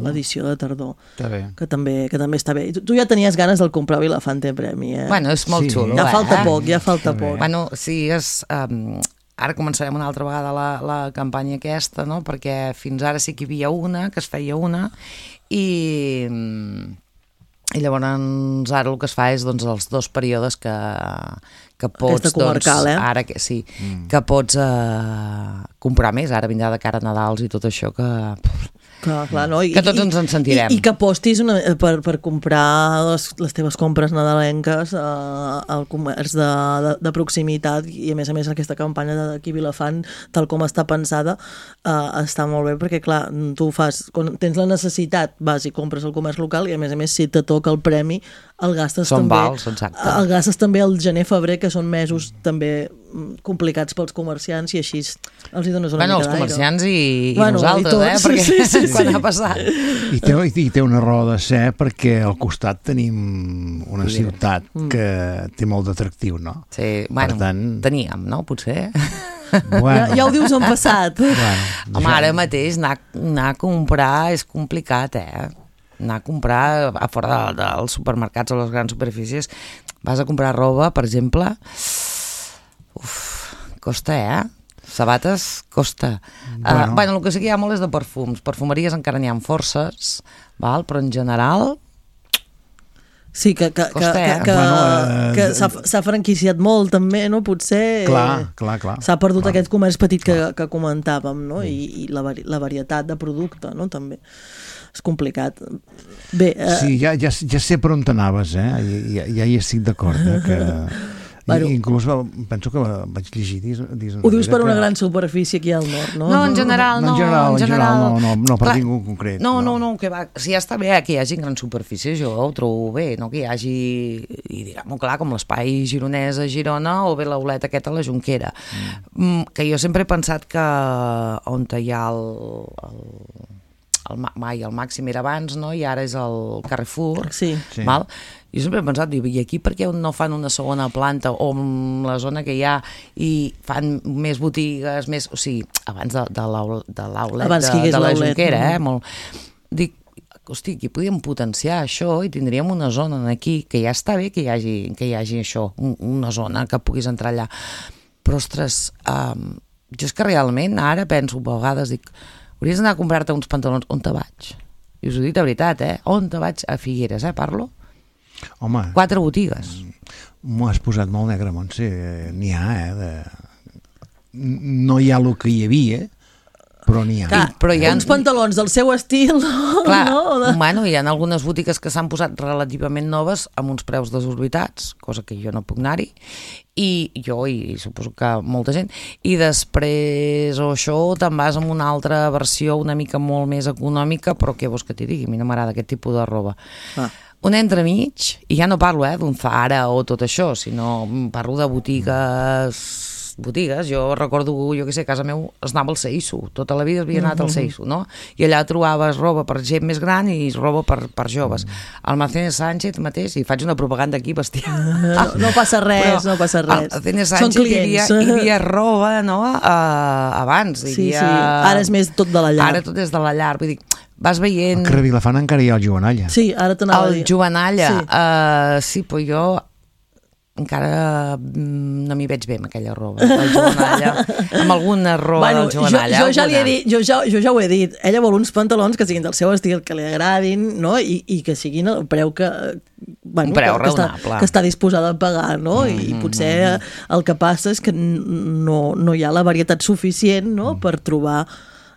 S2: l'edició de tardor, que també està bé. Tu ja tenies ganes del comprar Vilafant té premi,
S4: Bueno, és molt xulo.
S2: Ja falta poc.
S4: Bueno, sí, ara començarem una altra vegada la campanya aquesta, no? Perquè fins ara sí que hi havia una, que es feia una, i llavors ara el que es fa és els dos períodes que pots...
S2: Aquesta comarcal,
S4: ara que pots comprar més. Ara vindrà de cara a Nadals i tot això que
S2: Clar, no?
S4: Que tots ens en sentirem.
S2: I que apostis per comprar les teves compres nadalenques al comerç de proximitat, i a més aquesta campanya d'aquí Vilafant, tal com està pensada, està molt bé, perquè clar, tu quan tens la necessitat, vas i compres al comerç local, i a més si te toca el premi, el gastes també.
S4: Vals, exacte.
S2: El gastes també al gener-febrer, que són mesos també complicats pels comerciants, i així els hi dones una mica d'aire.
S4: Els comerciants i nosaltres, perquè quan ha passat.
S3: I té una raó de ser, perquè al costat tenim una ciutat que té molt d'atractiu, no?
S4: Sí, bueno, teníem, no? Potser.
S2: Bueno. Ja ho dius en passat.
S4: Home, ara mateix anar a comprar és complicat, anar a comprar a fora dels supermercats o les grans superfícies. Vas a comprar roba, per exemple, costa, sabates costa. Bueno, el que sí que hi ha molt és de perfums. Perfumeries encara n'hi ha forces, però en general...
S2: Sí, que s'ha franquiciat molt també, no? Potser
S3: clar.
S2: S'ha perdut aquest comerç petit que comentàvem, no? I la varietat de producte, no? També és complicat. Bé,
S3: sí, ja sé per on t'anaves, ja hi estic d'acord, que... Inclús penso que vaig llegir...
S2: Ho dius per una gran superfície aquí al nord, no?
S4: No, en general no.
S3: En general no per ningú concret.
S4: No, que va, si ja està bé que hi hagi gran superfície, jo ho trobo bé, no? Que hi hagi, i diguem-ho clar, com l'espai gironès a Girona o bé l'aulet aquest a la Jonquera. Que jo sempre he pensat que on hi ha el Màxim era abans, no? I ara és el Carrefour.
S2: Sí.
S4: Val? Jo sempre he pensat, i aquí per què no fan una segona planta o en la zona que hi ha i fan més botigues, o sigui, abans de l'aulet de la Jonquera, molt... Dic, hosti, aquí podríem potenciar això i tindríem una zona aquí, que ja està bé que hi hagi això, una zona que puguis entrar allà. Però, ostres, jo és que realment ara penso, a vegades dic, hauries d'anar a comprar-te uns pantalons, on te vaig? I us ho dic de veritat, on te vaig? A Figueres, parlo?
S3: Home,
S4: 4 botigues.
S3: M'ho has posat molt negre, Montse. N'hi ha, no hi ha el que hi havia, però n'hi ha.
S2: Clar, hi ha uns pantalons del seu estil.
S4: Clar, bueno, hi ha algunes botigues que s'han posat relativament noves amb uns preus desorbitats, cosa que jo no puc anar-hi, i jo, i suposo que molta gent, i després o això te'n vas amb una altra versió una mica molt més econòmica, però què vols que t'hi digui? A mi no m'agrada aquest tipus de roba. Un entremig, i ja no parlo d'un Zara o tot això, sinó parlo de botigues, jo recordo, jo què sé, a casa meu es anava al Seisu, tota la vida havia anat al Seisu, no? I allà trobaves roba per gent més gran i roba per joves. Al Marcene Sánchez mateix, i faig una propaganda aquí bestial.
S2: No passa res, no passa res.
S4: Al Marcene Sánchez hi havia roba, no? Abans.
S2: Sí, ara és més tot de la llar.
S4: Ara tot és de la llar, vull dir, vas veient...
S3: Al carrer Vilafant encara hi ha el Jovenalla.
S2: Sí, ara t'anava a dir.
S4: El Jovenalla, sí, però jo encara no m'hi veig bé amb aquella roba, el Jovenalla, amb alguna roba del Jovenalla.
S2: Jo ja li he dit, jo ja ho he dit, ella vol uns pantalons que siguin del seu estil, que li agradin, no? I que siguin el preu que...
S4: un preu raonable.
S2: Que està disposada a pagar, no? I potser el que passa és que no hi ha la varietat suficient, no?, per trobar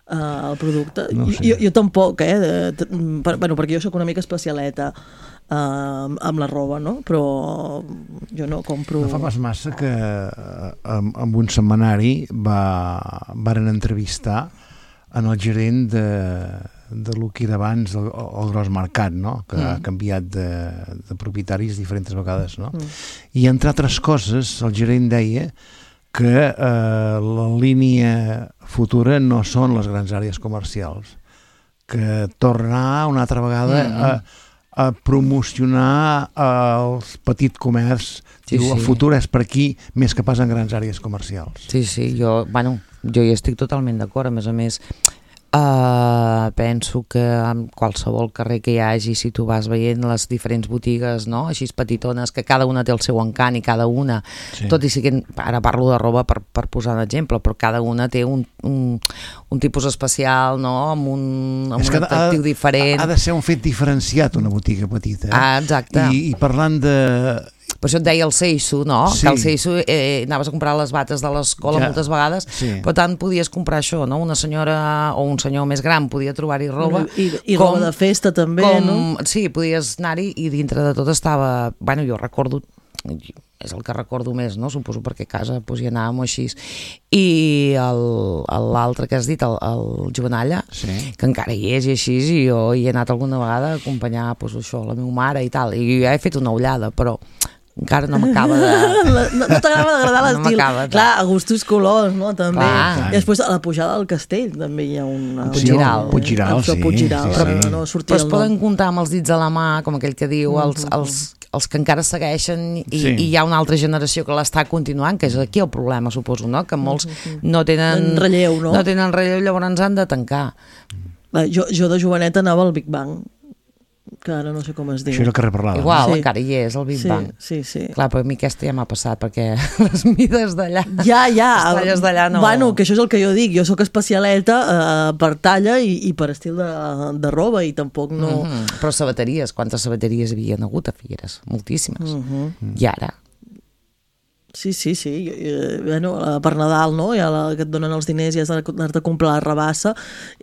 S2: el producte. No sé. Jo tampoc, perquè jo soc una mica especialeta amb la roba, no? Però jo no compro...
S3: No fa pas massa que amb un setmanari varen entrevistar en el gerent de lo que era abans el Gros Mercat, no? Que ha canviat de propietaris diferents vegades, no? I entre altres coses el gerent deia que la línia futura no són les grans àrees comercials, que tornar una altra vegada a promocionar el petit comerç. El futur és per aquí més que pas en grans àrees comercials.
S4: Sí, jo hi estic totalment d'acord. A més, penso que en qualsevol carrer que hi hagi, si tu vas veient les diferents botigues, no?, així petitones, que cada una té el seu encant i cada una, tot i que ara parlo de roba per posar un exemple, però cada una té un tipus especial, no?, amb un atractiu diferent.
S3: Ha de ser un fet diferenciat una botiga petita.
S4: Exacte.
S3: I parlant de...
S4: Per això et deia el Seisu, no?
S3: Sí.
S4: Que el Seisu anaves a comprar les bates de l'escola moltes vegades, per tant podies comprar això, no? Una senyora o un senyor més gran podia trobar-hi roba.
S2: I roba de festa també, no?
S4: Sí, podies anar-hi i dintre de tot estava... Bueno, jo recordo... és el que recordo més, no? Suposo perquè a casa hi anàvem així. I l'altre que has dit, el Jovenalla, que encara hi és i així, i jo hi he anat alguna vegada a acompanyar la meva mare i tal, i jo ja he fet una ullada, però encara no m'acaba de...
S2: No t'acaba d'agradar l'estil. Clar, a gustos colors, no? També. I després a la pujada del castell també hi ha un...
S3: Puiggiral, sí.
S2: Però
S4: es poden comptar amb els dits a la mà, com aquell que diu, els que encara segueixen i hi ha una altra generació que l'està continuant, que és aquí el problema, suposo, no? Que molts no tenen
S2: relleu, no?
S4: No tenen relleu, llavors han de tancar.
S2: Jo de joveneta anava al Big Bang, que ara no sé com es diu.
S3: Això era el carrer Parlada.
S4: Igual, encara hi és, el Big Bang.
S2: Sí.
S4: Clar, però a mi aquesta ja m'ha passat, perquè les mides d'allà...
S2: Ja.
S4: Les talles d'allà no...
S2: Bueno, que això és el que jo dic. Jo sóc especialeta per talla i per estil de roba, i tampoc no...
S4: Però sabateries, quantes sabateries hi havia hagut a Figueres? Moltíssimes. I ara...
S2: Sí. Bueno, per Nadal, no? Ja que et donen els diners i has d'anar-te a comprar la rabassa.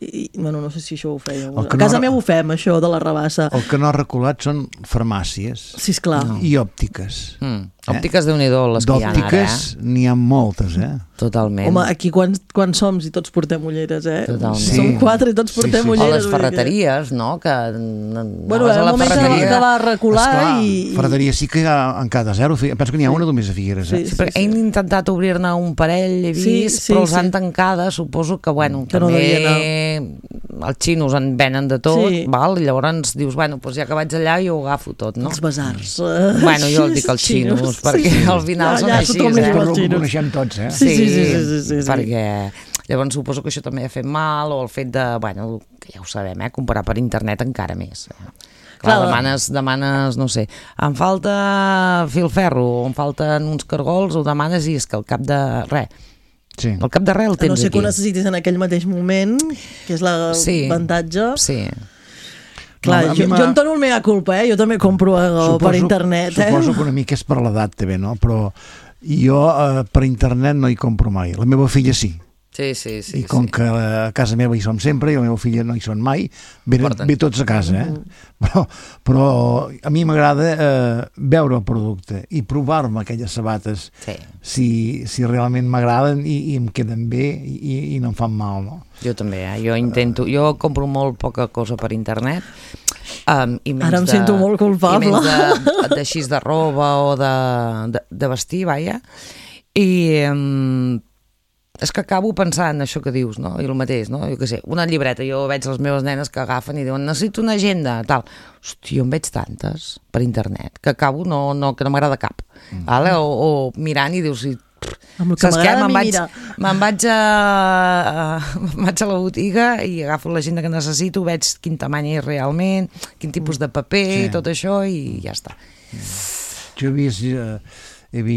S2: I, bueno, no sé si això ho fèieu. A casa meva ho fem, això de la rabassa.
S3: El que no ha reculat són farmàcies.
S2: Sí, esclar.
S3: I òptiques.
S4: Òptiques, Déu-n'hi-do, les que hi ha ara.
S3: D'òptiques n'hi ha moltes,
S4: Totalment.
S2: Home, aquí quan som i tots portem ulleres,
S4: Totalment.
S2: Som 4 i tots portem ulleres.
S4: O les ferreteries, no? Que
S2: bueno, en un moment que va recular i...
S3: Ferreteria sí que hi ha en cada zero. Penso que n'hi ha una només a Figueres,
S4: Sí, perquè hem intentat obrir-ne un parell, he vist, però els han tancada, suposo que, bueno,
S2: que
S4: també els xinos en venen de tot, val? I llavors dius, bueno, doncs ja que vaig allà jo ho agafo tot, no?
S2: Els basars.
S4: Bueno, jo els dic els xinos, perquè al final són així,
S3: Però ho coneixem tots,
S2: Sí.
S4: Perquè llavors suposo que això també ha fet mal, o el fet de, bueno, que ja ho sabem, comprar per internet encara més. Clar, demanes, no sé, em falta filferro, o em falten uns cargols, o demanes i és que al cap de res.
S3: Sí.
S4: Al cap de res el tens aquí.
S2: No sé que ho necessitis en aquell mateix moment, que és l'avantatge.
S4: Sí.
S2: Clar, jo en dono el mea culpa, jo també compro per internet.
S3: Suposo que una mica és per l'edat també, no? Però jo per internet no hi compro mai. La meva filla sí.
S4: Sí.
S3: I com que a casa meva hi som sempre i la meva filla no hi són mai, ve tots a casa, Però a mi m'agrada veure el producte i provar-me aquelles sabates si realment m'agraden i em queden bé i no em fan mal, no?
S4: Jo també, jo compro molt poca cosa per internet. I
S2: ara em sento molt culpable.
S4: I menys d'així de roba o de vestir, vaja. I és que acabo pensant això que dius, no? I el mateix, no? Jo què sé, una llibreta, jo veig les meves nenes que agafen i diuen necessito una agenda, tal. Hòstia, jo en veig tantes per internet que acabo que no m'agrada cap. O mirant i dius...
S2: Saps què?
S4: Me'n vaig a la botiga i agafo l'agenda que necessito, veig quin tamany és realment, quin tipus de paper i tot això i ja està.
S3: Jo he vist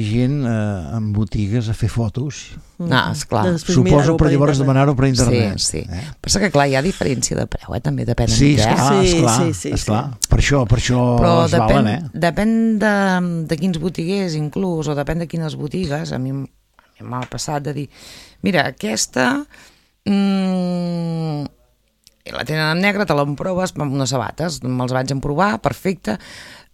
S3: gent en botigues a fer fotos.
S4: Esclar.
S3: Suposo per llavors demanar-ho per internet.
S4: Sí. Però que clar, hi ha diferència de preu, també depèn de
S3: què. Esclar. Per això es valen,
S4: Depèn de quins botiguers, inclús, o depèn de quines botigues. A mi m'ha passat de dir, mira, aquesta la tenen en negre, te l'emproves amb unes sabates, me'ls vaig emprovar, perfecte,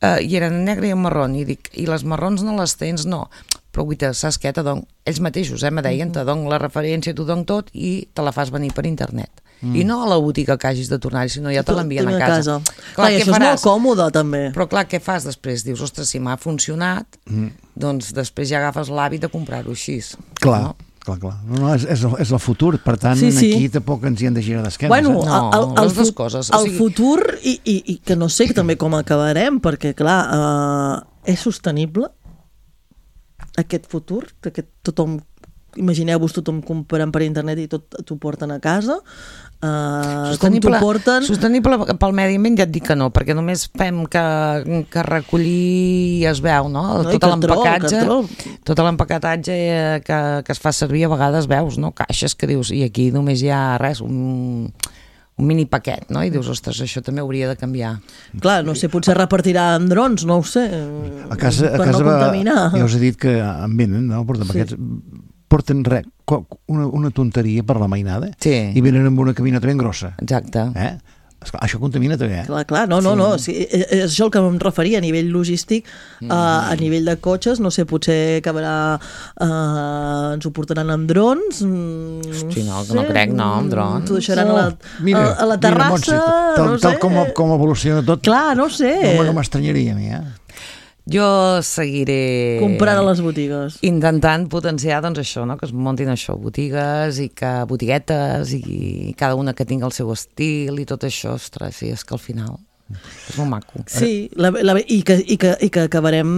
S4: i eren en negre i en marró, i dic, i les marrons no les tens? No, però guaita, saps què? Ells mateixos me deien, te dono la referència, t'ho dono tot i te la fas venir per internet. I no a la botiga que hagis de tornar, sinó ja te l'envien a casa.
S2: Clar, això és molt còmode, també.
S4: Però clar, què fas després? Dius, ostres, si m'ha funcionat, doncs després ja agafes l'hàbit de comprar-ho així.
S3: Clar. No, és el futur, per tant aquí tampoc ens hi hem de girar d'esquenes.
S2: Bueno,
S4: les dues coses.
S2: El futur, i que no sé també com acabarem, perquè clar, és sostenible aquest futur, que tothom, imagineu-vos tothom comprant per internet i tot t'ho porten a casa,
S4: sostenible pel medi ambient ja et dic que no, perquè només fem que recollir es veu, no? Tot l'empaquetatge que es fa servir a vegades veus, no? Caixes que dius, i aquí només hi ha res, un mini paquet, no? I dius, ostres, això també hauria de canviar.
S2: Clar, no sé, potser repartirà amb drons, no ho sé,
S3: a casa
S2: no contaminar.
S3: Ja us he dit que en venen, no? Porten res, una tonteria per la mainada i venen amb una cabineta ben grossa.
S4: Exacte.
S3: Esclar, això contamina també,
S2: Clar, no, sí, és això el que em referia a nivell logístic, a nivell de cotxes, no sé, potser acabarà, ens ho portaran amb drons,
S4: hosti, no crec, no, amb drons.
S2: T'ho deixaran a la terrassa,
S3: no sé. Tal com evoluciona tot.
S2: Clar, no sé.
S3: No m'estranyaria a mi,
S4: Jo seguiré
S2: comprant a les botigues,
S4: intentant potenciar doncs això, no? Que es muntin això, botigues i que botiguetes i cada una que tingui el seu estil i tot això, ostres, sí, és que al final és molt maco.
S2: Sí, i que acabarem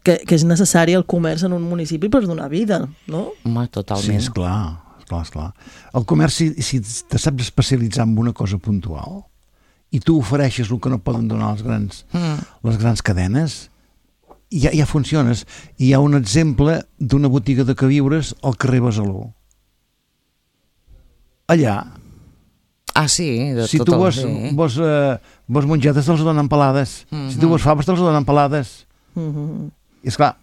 S2: que és necessari el comerç en un municipi per donar vida, no?
S4: Home, totalment.
S3: Sí, esclar. El comerç, si te saps especialitzar en una cosa puntual i tu ofereixes el que no poden donar les grans cadenes, ja funciones. Hi ha un exemple d'una botiga de queviures al carrer Besalú. Allà,
S4: sí,
S3: si tu vols mongetes te'ls donen pelades, si tu vols faves te'ls donen pelades. I esclar,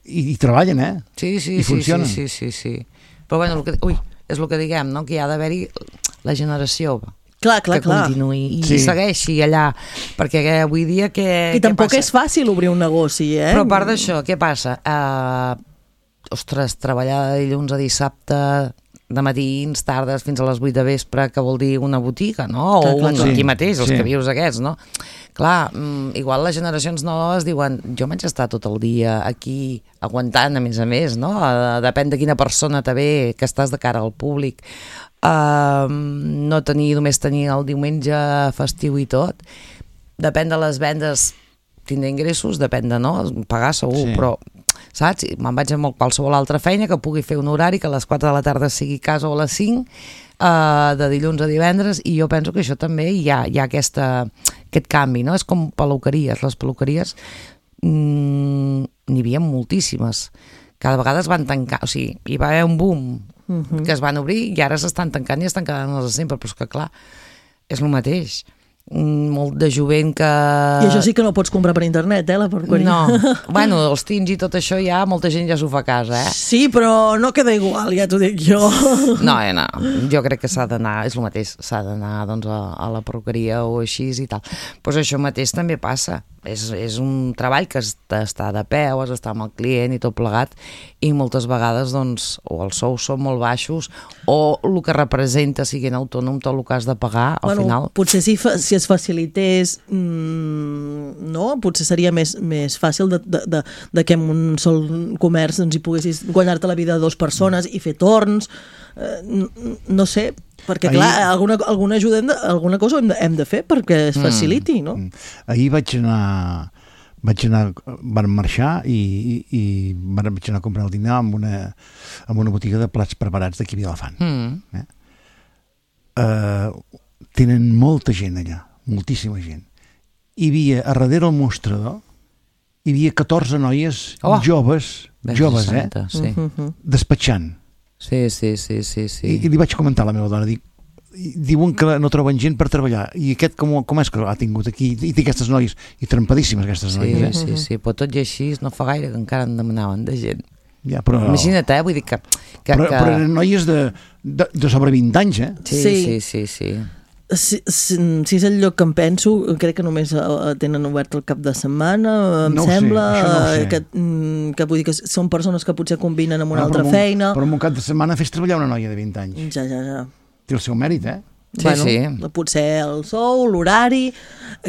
S3: i treballen,
S4: Sí,
S3: i funcionen.
S4: Sí. Però bueno, és el que diguem, no? Que hi ha d'haver-hi la generació
S2: que
S4: continuï i segueixi allà, perquè avui dia
S2: i tampoc és fàcil obrir un negoci,
S4: Però a part d'això, què passa? Ostres, treballar de dilluns a dissabte, de matins, tardes, fins a les 8 de vespre, que vol dir una botiga, no? Aquí mateix, els que vius aquests, no? Clar, igual les generacions noves diuen, jo vaig estar tot el dia aquí aguantant, a més, no? Depèn de quina persona te ve, que estàs de cara al públic, només tenir el diumenge festiu i tot, depèn de les vendes tindre ingressos, depèn de pagar segur, però saps? Me'n vaig a qualsevol altra feina que pugui fer un horari que a les 4 de la tarda sigui a casa o a les 5, de dilluns a divendres, i jo penso que això també hi ha aquest canvi, no? És com peluqueries, les peluqueries n'hi havia moltíssimes, cada vegada es van tancar, o sigui, hi va haver un boom que es van obrir i ara s'estan tancant i estan quedant els de sempre, però és que clar, és el mateix. Molt de jovent que...
S2: I això sí que no pots comprar per internet, la perruqueria.
S4: No, bueno, els tints i tot això ja, molta gent ja s'ho fa a casa,
S2: Sí, però no queda igual, ja t'ho dic jo.
S4: No, jo crec que s'ha d'anar, és el mateix, s'ha d'anar doncs, a la perruqueria o així i tal. Doncs això mateix també passa. És un treball que està de peu, has d'estar amb el client i tot plegat, i moltes vegades doncs, o els sous són molt baixos o el que representa siguent autònom tot el que has de pagar al final.
S2: Potser si es facilités, no? Potser seria més fàcil de que en un sol comerç doncs, hi poguessis guanyar-te la vida de 2 persones i fer torns, no sé, perquè clar, alguna ajuda, alguna cosa hem de fer perquè es faciliti, no?
S3: Ahir van marxar i vaig anar a comprar el dinar amb una botiga de plats preparats d'aquí a Vilafant. Tenen molta gent allà, moltíssima gent. Hi havia, a darrere el mostrador, hi havia 14 noies joves, despatxant.
S4: Sí.
S3: I li vaig comentar a la meva dona, diuen que no troben gent per treballar, i aquest com és que ha tingut aquí, i té aquestes noies, i trempadíssimes aquestes noies.
S4: Sí, però tot i així no fa gaire que encara en demanaven de gent.
S3: Ja, però...
S4: Imagina't, vull dir que...
S3: Però eren noies de sobre 20 anys,
S4: Sí.
S2: Si és el lloc que em penso, crec que només tenen obert el cap de setmana, em sembla, que vull dir que són persones que potser combinen amb una altra feina.
S3: Però en un cap de setmana fes treballar una noia de 20 anys.
S2: Ja.
S3: Té el seu mèrit,
S4: Sí.
S2: Potser el sou, l'horari...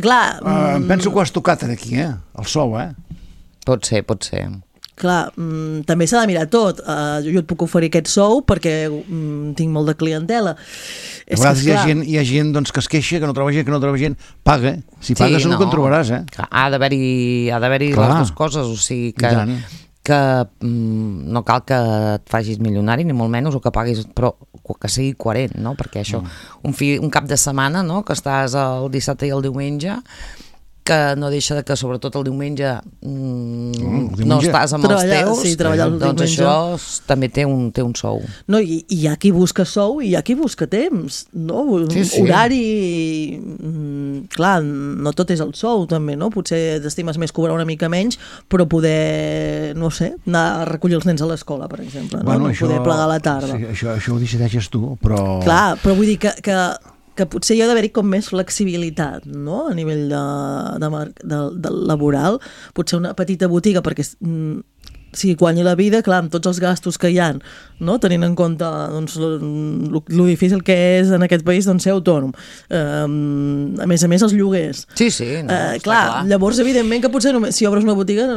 S2: Clar...
S3: Em penso que ho has tocat aquí, el sou,
S4: Pot ser.
S2: Clar, també s'ha de mirar tot. Jo et puc oferir aquest sou perquè tinc molt de clientela.
S3: A vegades hi ha gent doncs, que es queixa, que no troba gent, paga. Si pagues segur que en trobaràs,
S4: Ha d'haver-hi les dues coses, o sigui que no cal que et facis milionari, ni molt menys, o que paguis, però que sigui coherent, no? Perquè això, un cap de setmana, no? Que estàs el dissabte i el diumenge, que no deixa que sobretot el diumenge no estàs amb els teus, doncs això també té un sou.
S2: No, i hi ha qui busca sou i hi ha qui busca temps, no? Horari, clar, no tot és el sou també, no? Potser t'estimes més cobrar una mica menys, però poder, no sé, anar a recollir els nens a l'escola, per exemple, no? Poder plegar a la tarda.
S3: Això ho decideixes tu, però...
S2: Clar, però vull dir que potser hi ha d'haver-hi com més flexibilitat, no?, a nivell de laboral. Potser una petita botiga, perquè si guanyi la vida, clar, amb tots els gastos que hi ha, no?, tenint en compte doncs, lo difícil que és en aquest país doncs, ser autònom. A més, els lloguers.
S4: Sí,
S2: clar, llavors, evidentment, que potser només, si obres una botiga,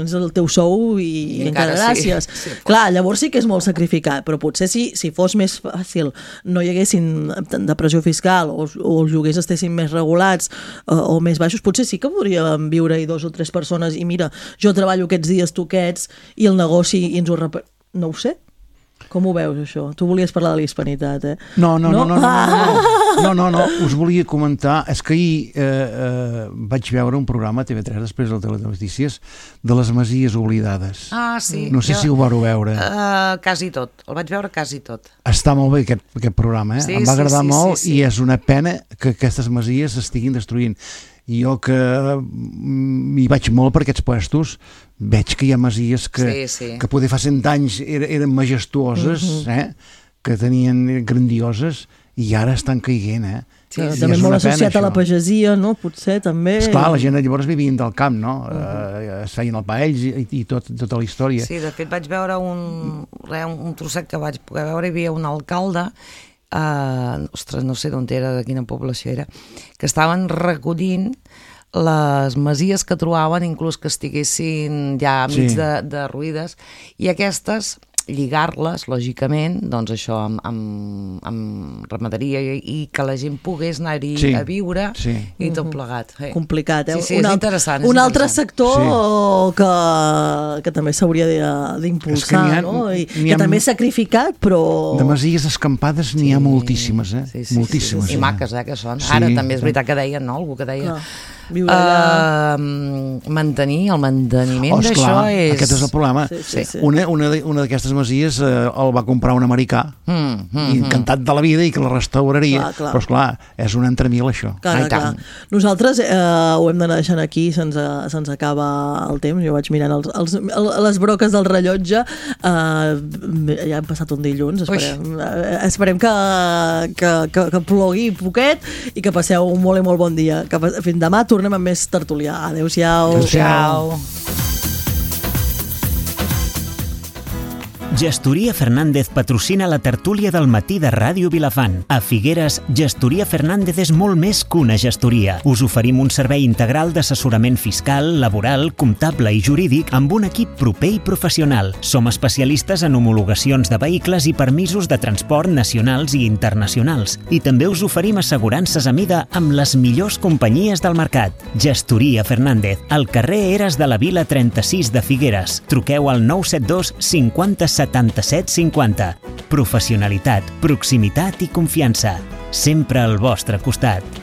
S2: és el teu sou i encara gràcies. Sí. Clar, llavors sí que és molt sacrificat, però potser si fos més fàcil, no hi haguessin depressió fiscal o els lloguers estessin més regulats o més baixos, potser sí que podríem viure-hi 2 o 3 persones i mira, jo treballo aquests dies, tu aquests, i el negoci i ens ho no ho sé. Com ho veus, això? Tu volies parlar de la hispanitat, eh?
S3: No, us volia comentar, és que ahir vaig veure un programa a TV3 després del Telenotícies de les Masies Oblidades.
S4: Ah, sí.
S3: No sé si ho vareu veure.
S4: Quasi tot, el vaig veure quasi tot.
S3: Està molt bé aquest programa, em va agradar molt i és una pena que aquestes masies s'estiguin destruint. I jo que m'hi vaig molt per aquests puestos, veig que hi ha masies que poder fa 100 anys eren majestuoses, que tenien grandioses, i ara estan caiguent,
S2: també molt associat a la pagesia, no? Potser també...
S3: Esclar, la gent llavors vivien del camp, no? Es feien el pa ells i tota la història.
S4: Sí, de fet vaig veure un trosset que vaig poder veure, hi havia un alcalde, ostres, no sé d'on era, de quina població era, que estaven recollint les masies que trobaven, inclús que estiguessin ja mig derruïdes, i aquestes lligar-les, lògicament, doncs això, amb ramaderia i que la gent pogués anar-hi a viure i tot plegat.
S2: Complicat, eh?
S4: Sí, és interessant.
S2: Un altre sector que també s'hauria d'impulsar, no? I que també és sacrificat, però...
S3: De masies escampades n'hi ha moltíssimes, eh? Moltíssimes.
S4: I maques, que són. Ara també és veritat que deien, no? Algú que deia... mantenir el manteniment d'això és...
S3: Aquest és el problema. Una d'aquestes masies el va comprar un americà i encantat de la vida i que la restauraria, però esclar, és un entremil això.
S2: Clar. Nosaltres ho hem d'anar deixant aquí, se'ns acaba el temps. Jo vaig mirant les broques del rellotge, ja hem passat un dilluns, esperem que plogui poquet i que passeu un molt i molt bon dia. Fins demà tornem amb més tertulià. Adéu-siau.
S4: Adéu-siau.
S1: Gestoria Fernández patrocina la tertúlia del matí de Ràdio Vilafant. A Figueres, Gestoria Fernández és molt més que una gestoria. Us oferim un servei integral d'assessorament fiscal, laboral, comptable i jurídic amb un equip proper i professional. Som especialistes en homologacions de vehicles i permisos de transport nacionals i internacionals. I també us oferim assegurances a mida amb les millors companyies del mercat. Gestoria Fernández, al carrer Eres de la Vila 36 de Figueres. Truqueu al 972 50 77 50. Professionalitat, proximitat i confiança. Sempre al vostre costat.